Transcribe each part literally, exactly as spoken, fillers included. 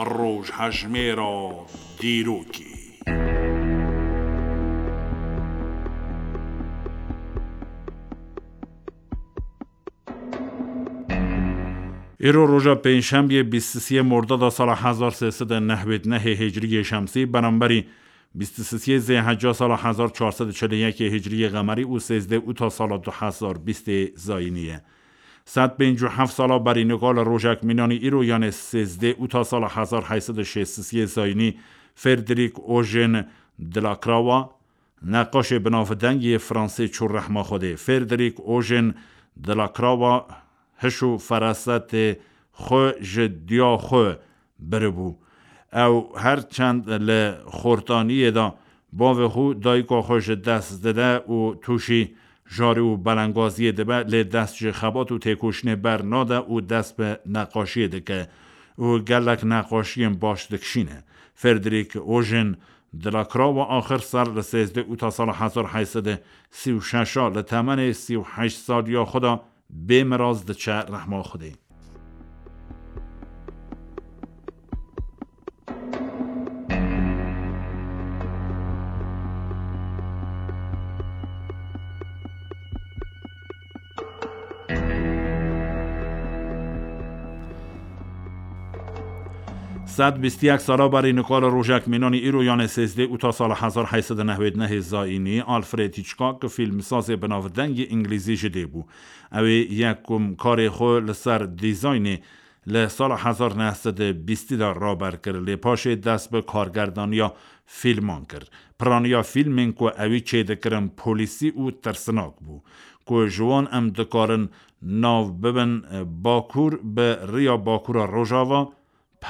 Rojhejmêra dîrokê. Îro roja pêncşembiyê bîst û sê Mordada sala hezar sê sed û newêd nehê Hicriyê Şemsî, beramberî bîst û sê Zêhecca sala hezar çar sed û çil û yekê Hicriyê Qemerî û sêzdeh Ûta sala du hezar bîstê Zayînî ye. Sed pêncî û heft sala berî nika li rojek mînanî îro, yanê sêzdeh Ûta sala hezar heyt sed û şêst û sê Zayînî, Frederic Eugène Delacroix, neqaşê binavdeng yê Fransê çû rehma Xwedê. Frederic Eugène Delacroix hiş û ferasetê xwe ji diya xwe biribû. Ew her çend li xortaniyê de bavê xwe, dayika xwe ji dest dide û tûşî jarî û belengaziyê dibe, lê dest ji xebat û têkoşînê ber nade û dest bi neqaşiyê dike û gelek neqaşiyên baş dikişîne. Frederic Eugène Delacroix axir ser li sêzdeh Ûta sala hezar heyt sed û sî û şeş a li temenê sî û heşt saliya xwe de bê miraz diçe rehma Xwedê. Sed bîst û yek sala berî nika li rojek mînanî îro, yanê sêzdeh Ûta sala hezar heyt sed û newêd nehê Zayînî, Alfred Hitchcock, fîlmsazê binavdeng yê îngilîzî ji dê bû. Ew ê yekum karê xwe li ser dîzaynê li sala hezar neh sed û bîstî de raber kir, lê paşê dest bi kargerdaniya fîlman kir. Piraniya fîlmên ku ewî çêdikirin polîsî û tirsinak bû, ku ji wan em dikarin nav bibin Bakur bi riya Bakura Rojava,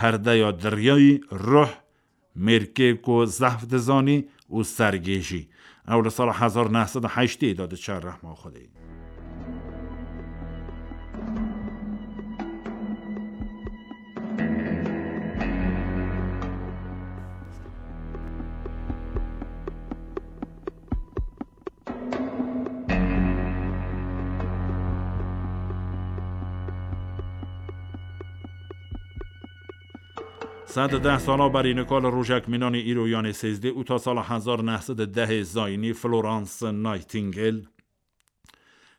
Perdeya Diryayî, Ruh, Mêrkê ku zehf dizanî û Sergêjî. Ew li sala hezar neh sed û heştê de diçe rehma Xwedê. Sed û deh sala berî nika li rojek mînanî îro, yanê sêzdeh Ûta sala hezar neh sed û dehê Zayînî, Florence Nightingale,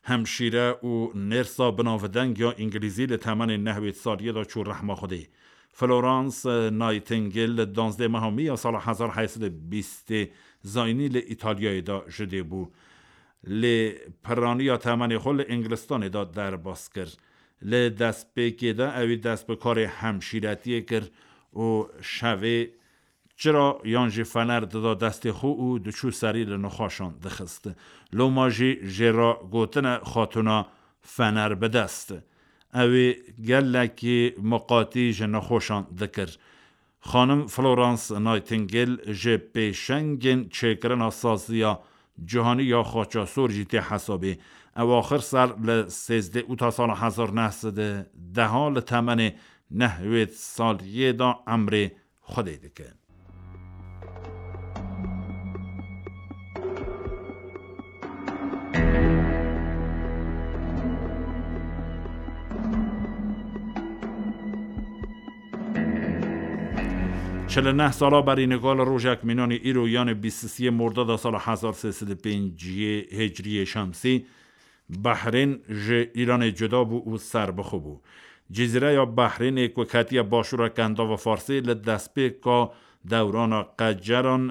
hemşîre û nêrsa binavdeng ya îngilîzî, li temenê nehwêd saliyê de çû rehma Xwedê. Florence Nightingale li danzdeh meha Mî ya sala hezar heyt sed û bîstê Zayînî li Îtalyayê de ji dê bû. Lê piraniya temenê xwe li Îngilistanê de derbas kir. Li destpêkê de ewî dest bi karê hemşîretiyê kir û şevê çira yan jî fener dida destê xwe û diçû serî li nexweşan dixist. Loma jî jê re gotine xatûna fener bi dest. Ew ê gelekî miqatî ji nexweşan dikir. Xanim Florence Nightingale ji pêşengên çêkirina saziya cîhanî ya xaça sor jî tê hesabê. Ew axir ser li sêzdeh Ûta sala hezar neh sed û deh li temenê nehwêd saliyê de emrê Xwedê dike. Çil û neh sala berî nika li rojek mînanî îro, yanê bîst û sê Mordada sala hezar sê sed û pêncî Hicriyê Şemsî, Behrên ji Îranê cuda bû û serbixwe bû. Cizîreya Behrênê ku ketiye başûra Kendava Farsê, li destpêka dewrana Qeceran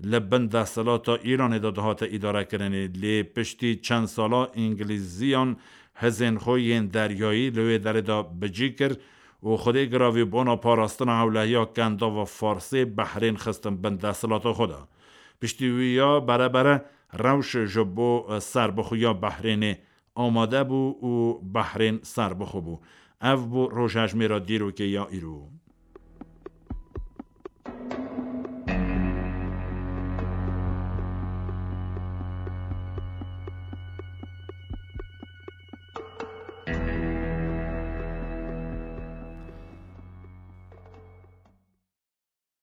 li bin desthilata Îranê de dihate îdarekirinê, lê piştî çend sala Îngilîziyan hizên xwe yên deryayî li wê derê de bicî kir û Xwedê giravî bona parastina hewlehiya Kendava Farsê Behrên xistin bin desthilata xwe de. Piştî wî ya bere bere rewş ji bo serbixweya Behrênê amade bû û Behrên serbixwe bû. Ev bû rojhejmêra dîrokê ya îro.